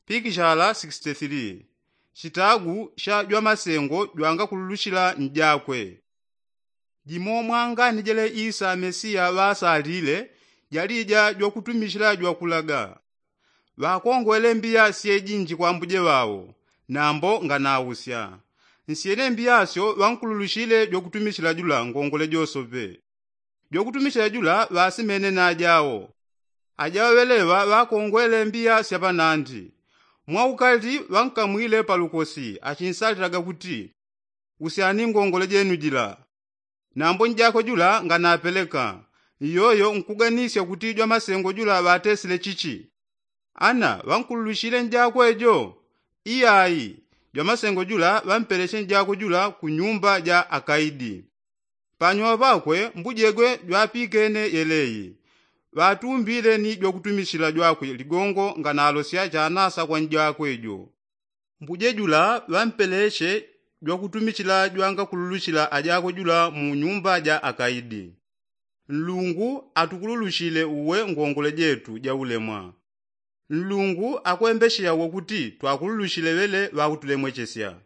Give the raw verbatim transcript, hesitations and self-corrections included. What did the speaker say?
Pikishala sixty three. Chitagu cha jwamasengo jwangakululushila njakwe. Jimo mwangani jele isa mesiya ŵasalile jalija jwakutumishila jwakulaga. Ŵakongwele mbiya syejinji kwa mbuje ŵao, nambo nganausya. Nsyene mbiyasyo ŵankululushile jwakutumishila jula ngongole josope. Jwakutumishila jula ŵasimene na jao. Ajao ŵeleŵa ŵakongwele mbiya syapanandi. Mwaukali ŵankamwile palukosi achinsalilaga kuti, usyani ngongole jenu jila. Nambo njakwe jula nganapeleka. Iyoyo nkuganisya kuti jwamasengo jula ŵatesile chichi? Ana ŵankululushile njakwe jo? Iyai. Jwamasengo jula ŵampeleshe njakwe jula ku nyumba ja akaidi. Panyuma pakwe mbujegwe jwapikene yeleyi. Ŵatumbile ni jwakutumishila jwakwe ligongo nganalosya chanasa kwa njakwe jo. Mbuje jula ŵampeleshe jwakutumishila jwangakululushila ajakwe jula mu nyumba ja akaidi. Nlungu atukululushile uwe ngongole jetu jaulemwa. Nlungu akwembesheya uwe kuti twakululushile ŵele ŵautulemwechesya.